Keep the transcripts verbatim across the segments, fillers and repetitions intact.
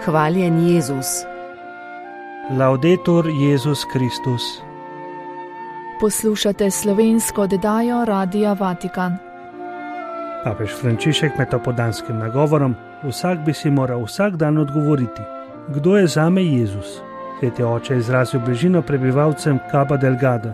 Hvaljen Jezus. Laudetur Jezus Kristus. Poslušate slovensko oddajo Radia Vatikan. Papež Frančišek med opoldanskim nagovorom: vsak bi si moral vsak dan odgovoriti, kdo je zame Jezus. Sveti oče je izrazil bližino prebivalcem Cabo Delgado.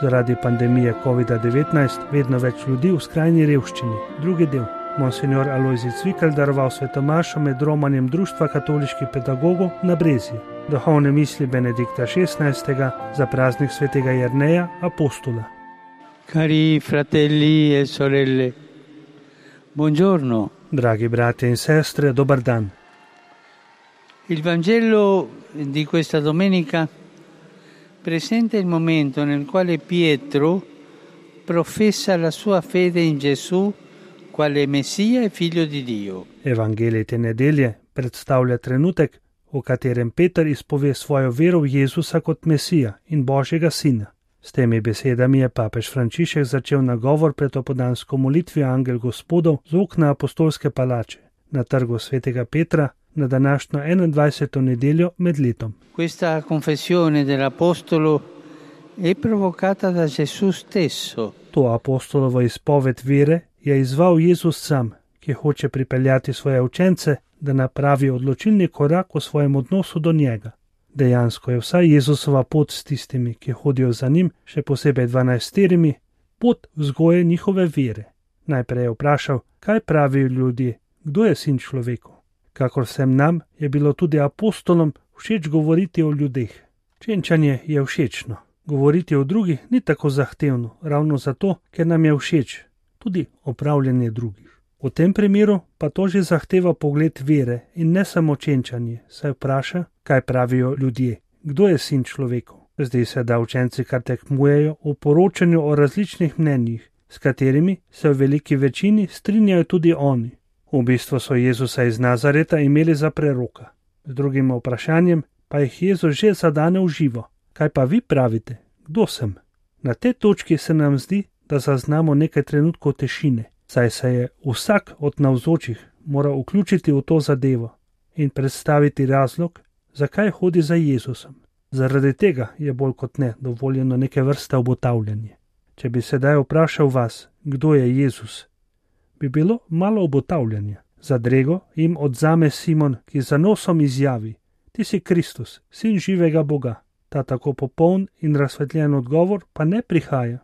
Zaradi pandemije kovida devetnajst vedno več ljudi v skrajni revščini. Drugi del. Monsignor Alojzij Cvikl daroval svetomašo med romanjem Društva katoliških pedagogov na Brezju. Duhovne misli Benedikta šestnajstega za praznik svetega Jerneja apostola. Cari fratelli e sorelle, buongiorno. Dragi bratje in sestre, dober dan. Il Vangelo di questa domenica presenta il momento nel quale Pietro professa la sua fede in Gesù quale Messia e figlio di Dio. Evangelij te nedelje predstavlja trenutek, v katerem Peter izpove svojo vero v Jezusa kot Mesija in Božjega sina. S temi besedami je papež Frančišek začel nagovor pred opoldansko molitvijo Angel Gospodov z okna apostolske palače na trgu svetega Petra na današnjo enaindvajseto nedeljo med letom. Questa confessione dell'apostolo è provocata da Gesù stesso. To apostolovo izpoved vere je izval Jezus sam, ki hoče pripeljati svoje učence, da napravi odločilni korak v svojem odnosu do njega. Dejansko je vsa Jezusova pot s tistimi, ki hodijo za njim, še posebej dvanajsterimi, pot vzgoje njihove vere. Najprej je vprašal, kaj pravijo ljudje, kdo je sin človekov. Kakor vsem nam je bilo tudi apostolom všeč govoriti o ljudeh. Čenčanje je všečno. Govoriti o drugih ni tako zahtevno, ravno zato, ker nam je všeč tudi opravljanje drugih. V tem primeru pa to že zahteva pogled vere in ne samo čenčanje, saj vpraša, kaj pravijo ljudje, kdo je sin človekov. Zdi se, da učenci kar tekmujejo v poročanju o različnih mnenjih, s katerimi se v veliki večini strinjajo tudi oni. V bistvu so Jezusa iz Nazareta imeli za preroka. Z drugim vprašanjem pa jih Jezus že zadane v živo. Kaj pa vi pravite, kdo sem? Na tej točki se nam zdi, da zaznamo nekaj trenutkov tišine, saj se je vsak od navzočih moral vključiti v to zadevo in predstaviti razlog, zakaj hodi za Jezusom. Zaradi tega je bolj kot ne dovoljeno neke vrste obotavljanje. Če bi sedaj vprašal vas, kdo je Jezus, bi bilo malo obotavljanja. Zadrego jim odzame Simon, ki za nosom izjavi: ti si Kristus, sin živega Boga. Ta tako popoln in razsvetljen odgovor pa ne prihaja,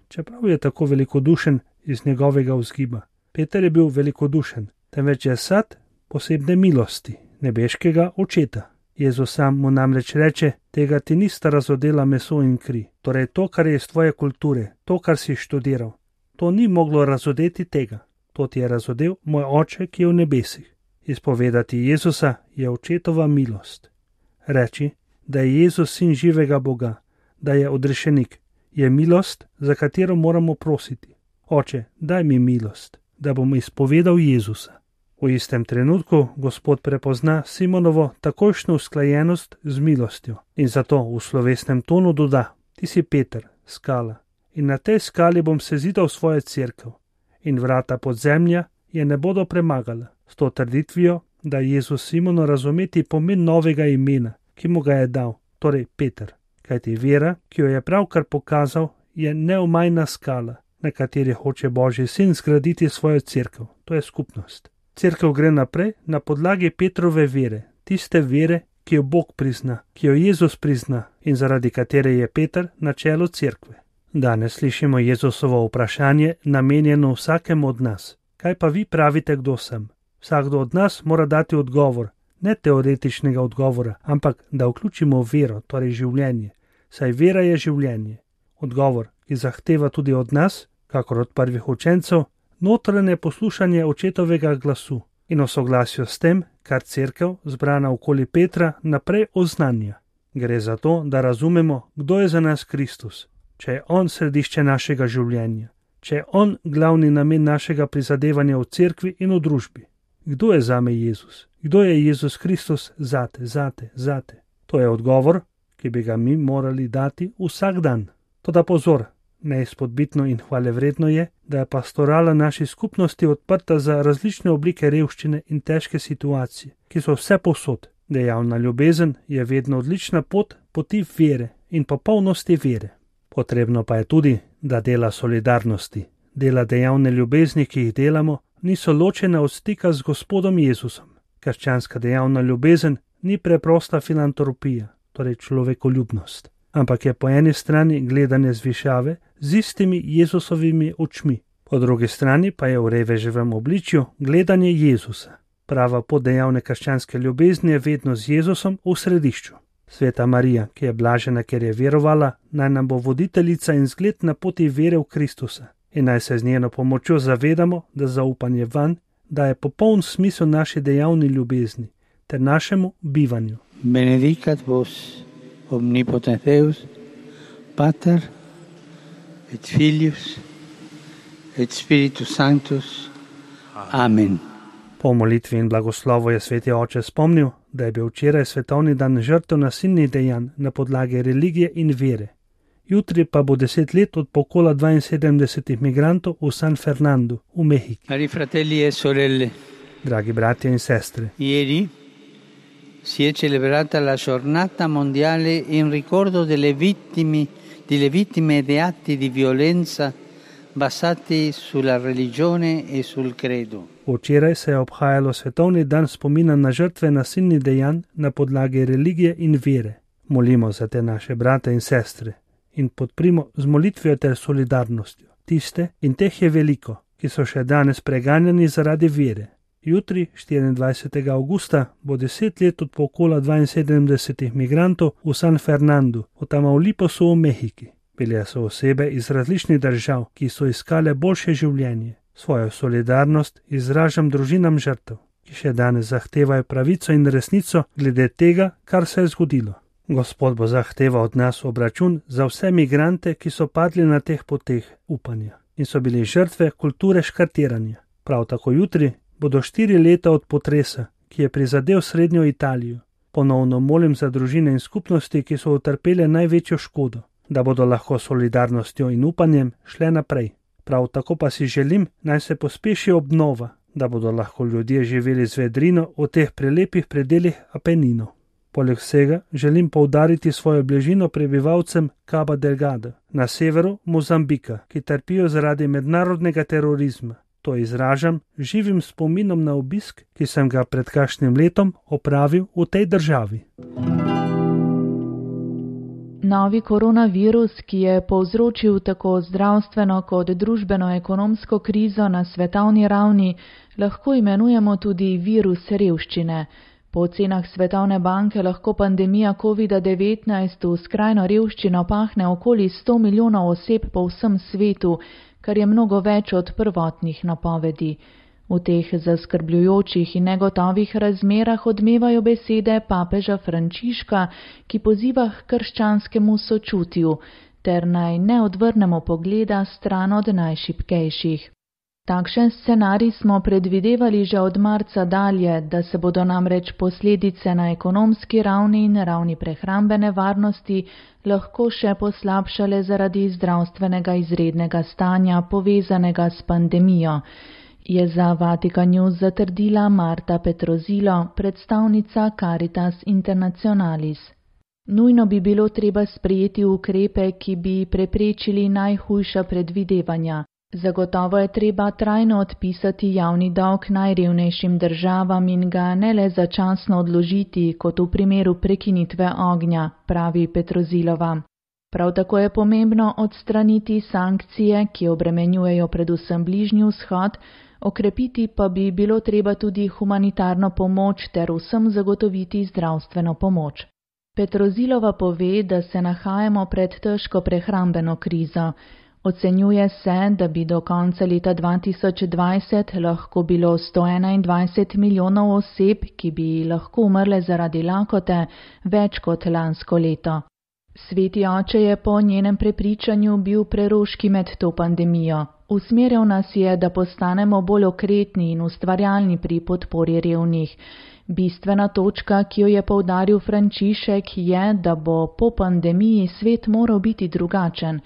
čeprav je tako velikodušen iz njegovega vzgiba. Peter je bil velikodušen, temveč je sad posebne milosti, nebeškega očeta. Jezus sam mu namreč reče: tega ti nista razodela meso in kri. Torej to, kar je iz tvoje kulture, to, kar si študiral, to ni moglo razodeti tega. To ti je razodel moj oče, ki je v nebesih. Izpovedati Jezusa je očetova milost. Reči, da je Jezus sin živega Boga, da je odrešenik, je milost, za katero moramo prositi. Oče, daj mi milost, da bom izpovedal Jezusa. V istem trenutku Gospod prepozna Simonovo takojšnjo usklajenost z milostjo in zato v slovesnem tonu doda: ti si Peter, skala, in na tej skali bom sezidal svojo cerkev in vrata podzemlja je ne bodo premagala. S to trditvijo da Jezus Simonu razumeti pomen novega imena, ki mu ga je dal, torej Peter. Kajti vera, ki jo je pravkar pokazal, je neomajna skala, na kateri hoče Božji sin zgraditi svojo cerkev, to je skupnost. Cerkev gre naprej na podlagi Petrove vere, tiste vere, ki jo Bog prizna, ki jo Jezus prizna in zaradi katere je Peter na čelu cerkve. Danes slišimo Jezusovo vprašanje namenjeno vsakemu od nas. Kaj pa vi pravite, kdo sem? Vsakdo od nas mora dati odgovor, ne teoretičnega odgovora, ampak da vključimo vero, torej življenje, saj vera je življenje. Odgovor, ki zahteva tudi od nas, kakor od prvih učencev, notranje poslušanje očetovega glasu in o soglasju s tem, kar cerkev, zbrana okoli Petra, naprej oznanja. Gre za to, da razumemo, kdo je za nas Kristus, če je on središče našega življenja, če je on glavni namen našega prizadevanja v cerkvi in v družbi. Kdo je zame Jezus? Kdo je Jezus Kristus zate, zate, zate? To je odgovor, ki bi ga mi morali dati vsak dan. Toda pozor, Neizpodbitno in hvalevredno je, da je pastorala naši skupnosti odprta za različne oblike revščine in težke situacije, ki so vse povsod. Dejavna ljubezen je vedno odlična pot poti vere in popolnosti vere. Potrebno pa je tudi, da dela solidarnosti, dela dejavne ljubezni, ki jih delamo, niso ločene od stika z Gospodom Jezusom. Krščanska dejavna ljubezen ni preprosta filantropija, torej človekoljubnost, ampak je po eni strani gledanje z višave z istimi Jezusovimi očmi, po drugi strani pa je v reveževem obličju gledanje Jezusa. Prava pot dejavne krščanske ljubezni je vedno z Jezusom v središču. Sveta Marija, ki je blažena, ker je verovala, naj nam bo voditeljica in zgled na poti vere v Kristusa in naj se z njeno pomočjo zavedamo, da zaupanje vanj daje popoln smisel naši dejavni ljubezni ter našemu bivanju. Benedicat vos omnipotens Deus, Pater et Filius et Spiritus Sanctus. Amen. Po molitvi in blagoslovu je sveti oče spomnil, da je bil včeraj svetovni dan žrtev nasilnih dejanj na podlagi religije in vere. Jutri pa bo deset let od pokola dvainsedemdesetih migrantov v San Fernandu v Mehiki. Cari fratelli e sorelle, Dragi bratje in sestre, ieri si è celebrata la giornata mondiale in ricordo delle vittime, delle vittime di atti di violenza basati sulla religione e sul credo. Včeraj se je obhajalo svetovni dan spomina na žrtve nasilnih dejanj na podlagi religije in vere. Molimo za te naše brate in sestre in podprimo z molitvijo ter solidarnostjo tiste, in teh je veliko, ki so še danes preganjani zaradi vere. Jutri, štiriindvajsetega avgusta, bo deset let od pokola dvainsedemdesetih migrantov v San Fernandu, v Tamaulipasu v Mehiki. Bile so osebe iz različnih držav, ki so iskale boljše življenje. Svojo solidarnost izražam družinam žrtev, ki še danes zahtevajo pravico in resnico glede tega, kar se je zgodilo. Gospod bo zahteval od nas obračun za vse migrante, ki so padli na teh poteh upanja in so bili žrtve kulture škartiranja. Prav tako jutri bodo štiri leta od potresa, ki je prizadel srednjo Italijo. Ponovno molim za družine in skupnosti, ki so utrpele največjo škodo, da bodo lahko solidarnostjo in upanjem šle naprej. Prav tako pa si želim, naj se pospeši obnova, da bodo lahko ljudje živeli z vedrino v teh prelepih predelih Apeninov. Poleg vsega želim poudariti svojo bližino prebivalcem Cabo Delgado na severu Mozambika, ki trpijo zaradi mednarodnega terorizma. To izražam živim spominom na obisk, ki sem ga pred kakšnim letom opravil v tej državi. Novi koronavirus, ki je povzročil tako zdravstveno kot družbeno-ekonomsko krizo na svetovni ravni, lahko imenujemo tudi virus revščine. Po ocenah Svetovne banke lahko pandemija kovida devetnajst v skrajno revščino pahne okoli sto milijonov oseb po vsem svetu, kar je mnogo več od prvotnih napovedi. V teh zaskrbljujočih in negotovih razmerah odmevajo besede papeža Frančiška, ki poziva k krščanskemu sočutju, ter naj ne odvrnemo pogleda stran od najšibkejših. Takšen scenarij smo predvidevali že od marca dalje, da se bodo namreč posledice na ekonomski ravni in ravni prehrambene varnosti lahko še poslabšale zaradi zdravstvenega izrednega stanja povezanega s pandemijo, je za Vatikan News zatrdila Marta Petrozilo, predstavnica Caritas Internationalis. Nujno bi bilo treba sprejeti ukrepe, ki bi preprečili najhujša predvidevanja. Zagotovo je treba trajno odpisati javni dolg najrevnejšim državam in ga ne le začasno odložiti, kot v primeru prekinitve ognja, pravi Petrozilova. Prav tako je pomembno odstraniti sankcije, ki obremenjujejo predvsem Bližnji vzhod, okrepiti pa bi bilo treba tudi humanitarno pomoč ter vsem zagotoviti zdravstveno pomoč. Petrozilova pove, da se nahajamo pred težko prehrambeno krizo. Ocenjuje se, da bi do konca leta dva tisoč dvajset lahko bilo sto enaindvajset milijonov oseb, ki bi lahko umrle zaradi lakote, več kot lansko leto. Sveti oče je po njenem prepričanju bil preroški med to pandemijo. Usmeril nas je, da postanemo bolj okretni in ustvarjalni pri podpori revnih. Bistvena točka, ki jo je poudaril Frančišek, je, da bo po pandemiji svet moral biti drugačen.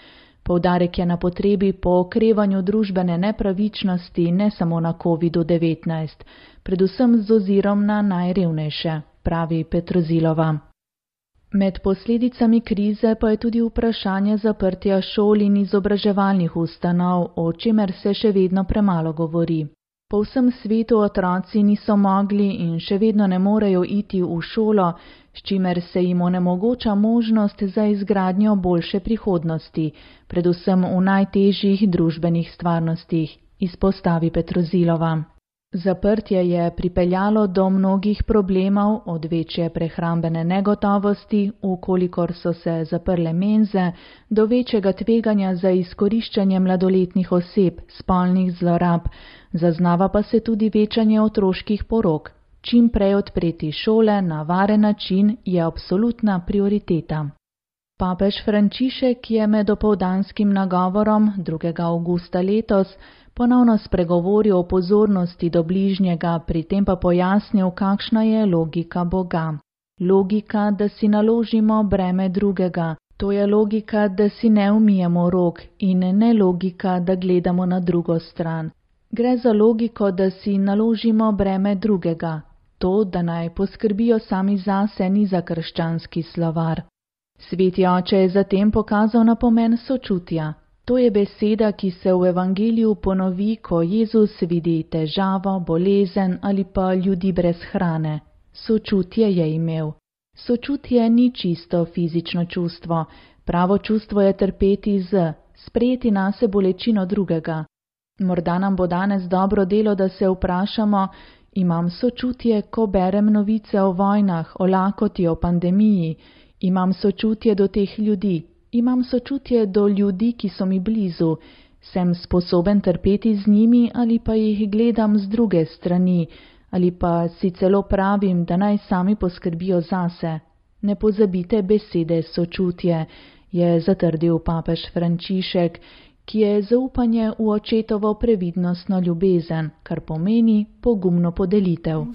Poudarek je na potrebi po okrevanju družbene nepravičnosti ne samo na covid devetnajst, predvsem z ozirom na najrevnejše, pravi Petrozilova. Med posledicami krize pa je tudi vprašanje zaprtja šol in izobraževalnih ustanov, o čemer se še vedno premalo govori. Po vsem svetu otroci niso mogli in še vedno ne morejo iti v šolo, s čimer se jim onemogoča možnost za izgradnjo boljše prihodnosti, predvsem v najtežjih družbenih stvarnostih, izpostavi Petrozilova. Zaprtje je pripeljalo do mnogih problemov, od večje prehrambene negotovosti, ukolikor so se zaprle menze, do večjega tveganja za izkoriščanje mladoletnih oseb, spolnih zlorab, zaznava pa se tudi večanje otroških porok. Čim prej odpreti šole na varen način je absolutna prioriteta. Papež Frančišek je med opoldanskim nagovorom drugega avgusta letos ponovno spregovoril o pozornosti do bližnjega, pri tem pa pojasnil, kakšna je logika Boga. Logika, da si naložimo breme drugega, to je logika, da si ne umijemo rok in ne logika, da gledamo na drugo stran. Gre za logiko, da si naložimo breme drugega. To, da naj poskrbijo sami zase, ni za krščanski slovar. Sveti oče je zatem pokazal na pomen sočutja. To je beseda, ki se v evangeliju ponovi, ko Jezus vidi težavo, bolezen ali pa ljudi brez hrane. Sočutje je imel. Sočutje ni čisto fizično čustvo. Pravo čustvo je trpeti z, sprejeti nase bolečino drugega. Morda nam bo danes dobro delo, da se vprašamo, imam sočutje, ko berem novice o vojnah, o lakoti, o pandemiji. Imam sočutje do teh ljudi. Imam sočutje do ljudi, ki so mi blizu. Sem sposoben trpeti z njimi ali pa jih gledam z druge strani, ali pa si celo pravim, da naj sami poskrbijo zase. Ne pozabite besede sočutje, je zatrdil papež Frančišek, ki je zaupanje v očetovo previdnostno ljubezen, kar pomeni pogumno podelitev.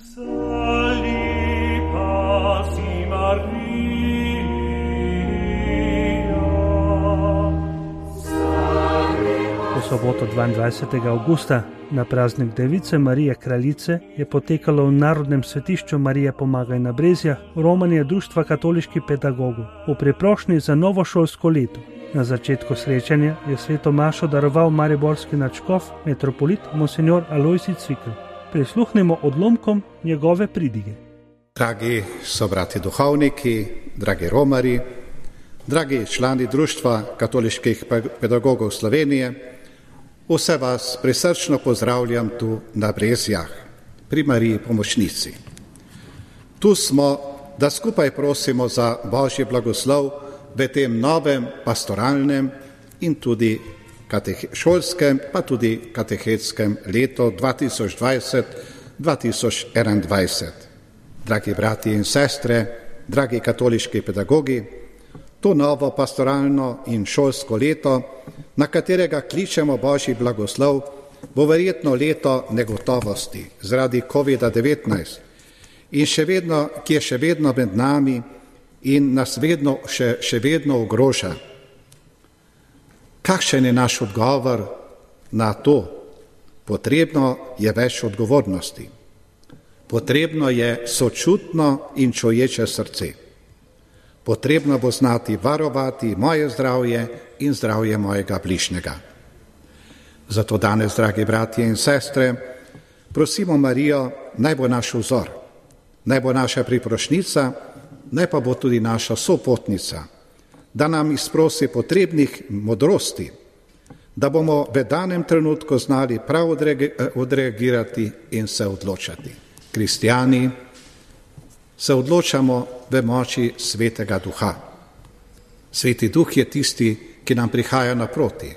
V soboto dvaindvajsetega avgusta na praznik Device Marije Kraljice je potekalo v Narodnem svetišču Marije Pomagaj na Brezjah romanje Društva katoliških pedagogov v priprošnji za novo šolsko leto. Na začetku srečanja je sveto mašo daroval mariborski nadškof, metropolit monsignor Alojzij Cvikl. Prisluhnimo odlomkom njegove pridige. Dragi sobrati duhovniki, dragi romari, dragi člani Društva katoliških pedagogov Slovenije, vse vas prisrčno pozdravljam tu na Brezjah, pri Mariji Pomočnici. Tu smo, da skupaj prosimo za Božji blagoslov v tem novem pastoralnem in tudi šolskem, pa tudi katehetskem letu dva tisoč dvajset dva tisoč enaindvajset. Dragi brati in sestre, dragi katoliški pedagogi, to novo pastoralno in šolsko leto, na katerega kličemo Božji blagoslov, bo verjetno leto negotovosti zaradi covid devetnajst, in še vedno, ki je še vedno med nami in nas vedno, še, še vedno ogroža. Kakšen je naš odgovor na to? Potrebno je več odgovornosti. Potrebno je sočutno in čuječe srce. Potrebno bo znati varovati moje zdravje in zdravje mojega bližnjega. Zato danes, dragi bratje in sestre, prosimo Marijo, naj bo naš vzor, naj bo naša priprošnica, naj pa bo tudi naša sopotnica, da nam izprosi potrebnih modrosti, da bomo v danem trenutku znali prav odreagirati in se odločati. Kristjani se odločamo v moči Svetega Duha. Sveti Duh je tisti, ki nam prihaja naproti.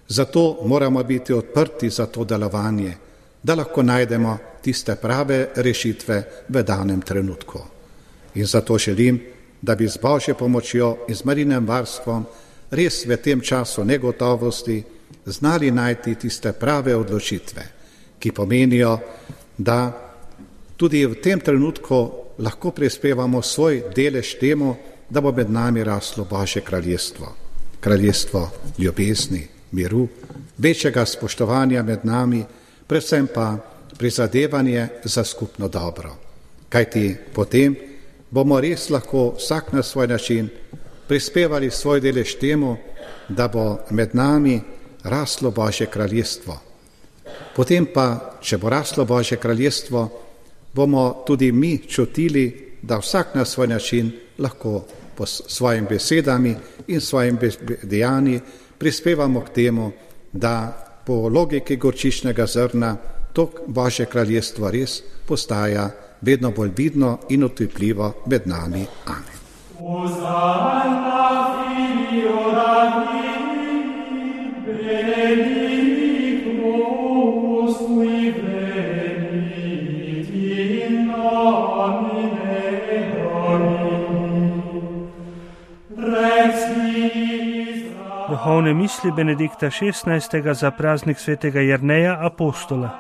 Zato moramo biti odprti za to delovanje, da lahko najdemo tiste prave rešitve v danem trenutku. In zato želim, da bi z Božjo pomočjo in z Marijinem varstvom res v tem času negotovosti znali najti tiste prave odločitve, ki pomenijo, da tudi v tem trenutku lahko prispevamo svoj delež temu, da bo med nami raslo Božje kraljestvo. kraljestvo ljubezni, miru, večjega spoštovanja med nami, predvsem pa prizadevanje za skupno dobro. Kajti potem bomo res lahko vsak na svoj način prispevali svoj delež temu, da bo med nami raslo Božje kraljestvo. Potem pa, če bo raslo Božje kraljestvo, bomo tudi mi čutili, da vsak na svoj način lahko po svojim besedami in svojim dejanji prispevamo k temu, da po logiki gorčičnega zrna to Božje kraljestvo res postaja vedno bolj vidno in otipljivo med nami. Amen. Duhovne misli Benedikta šestnajstega za praznik svetega Jerneja apostola.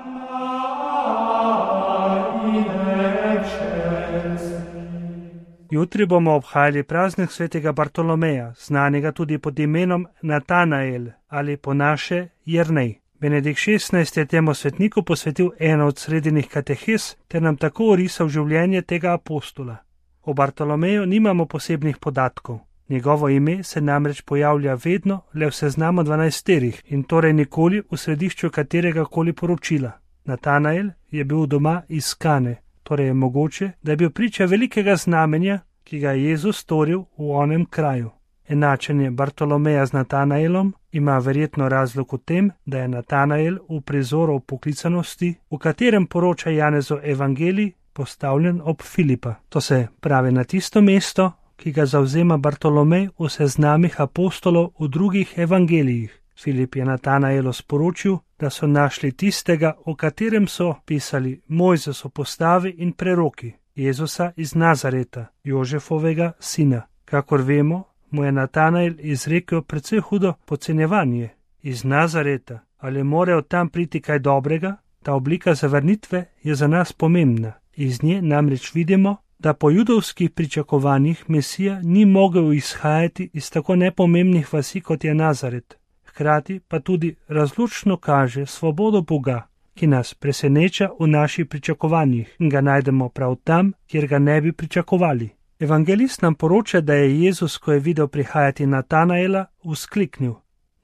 Jutri bomo obhajali praznik svetega Bartolomeja, znanega tudi pod imenom Natanael ali po naše Jernej. Benedikt šestnajsti je temu svetniku posvetil eno od sredinih katehes ter nam tako orisal življenje tega apostola. O Bartolomeju nimamo posebnih podatkov. Njegovo ime se namreč pojavlja vedno le v seznamu dvanajsterih in torej nikoli v središču katerega koli poročila. Natanael je bil doma iz Kane, torej je mogoče, da je bil priča velikega znamenja, ki ga je Jezus storil v onem kraju. Enačenje Bartolomeja z Natanaelom ima verjetno razlog v tem, da je Natanael v prizoru poklicanosti, v katerem poroča Janezov evangelij, postavljen ob Filipa. To se pravi na tisto mesto, ki ga zavzema Bartolomej v seznamih apostolov v drugih evangelijih. Filip je Natanaelu sporočil, da so našli tistega, o katerem so pisali Mojzes v postavi in preroki, Jezusa iz Nazareta, Jožefovega sina. Kakor vemo, mu je Natanael izrekel precej hudo podcenjevanje. Iz Nazareta, ali more od tam priti kaj dobrega? Ta oblika zavrnitve je za nas pomembna. Iz nje namreč vidimo, da po judovskih pričakovanjih Mesija ni mogel izhajati iz tako nepomembnih vasi, kot je Nazaret. Hkrati pa tudi razlučno kaže svobodo Boga, ki nas preseneča v naših pričakovanjih in ga najdemo prav tam, kjer ga ne bi pričakovali. Evangelist nam poroča, da je Jezus, ko je videl prihajati Natanaela, vzkliknil: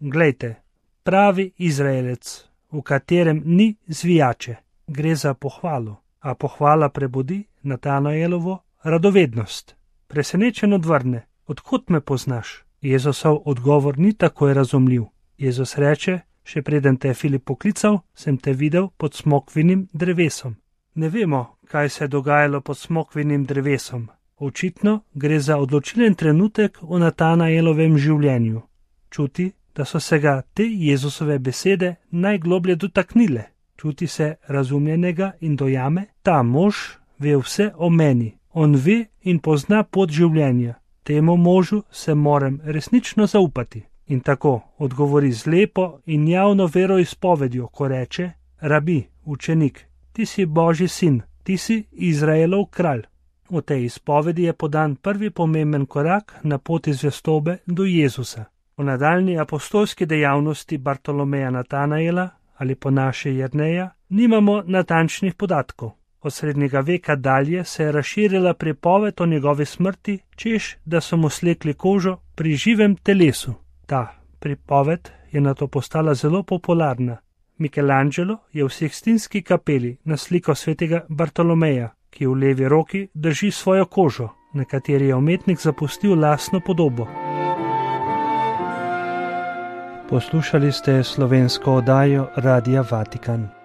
Glejte, pravi Izraelec, v katerem ni zvijače. Gre za pohvalo, a pohvala prebudi Natanaelovo radovednost. Presenečen odvrne: Odkot me poznaš? Jezusov odgovor ni takoj razumljiv. Jezus reče: Še preden te je Filip poklical, sem te videl pod smokvinim drevesom. Ne vemo, kaj se je dogajalo pod smokvinim drevesom. Očitno gre za odločilen trenutek v Natanaelovem življenju. Čuti, da so se ga te Jezusove besede najgloblje dotaknile. Čuti se razumljenega in dojame: ta mož ve vse o meni. On ve in pozna pot življenja. Temu možu se moram resnično zaupati. In tako odgovori z lepo in javno veroizpovedjo, ko reče: Rabi, učenik, ti si Božji sin, ti si Izraelov kralj. V tej izpovedi je podan prvi pomemben korak na poti zvestobe do Jezusa. V nadaljnji apostolski dejavnosti Bartolomeja Natanaela ali po naše Jerneja nimamo natančnih podatkov. Od srednjega veka dalje se je razširila pripoved o njegovi smrti, češ, da so mu slekli kožo pri živem telesu. Ta pripoved je nato postala zelo popularna. Michelangelo je v Sikstinski kapeli naslikal svetega Bartolomeja, ki v levi roki drži svojo kožo, na kateri je umetnik zapustil lastno podobo. Poslušali ste slovensko oddajo Radia Vatikan.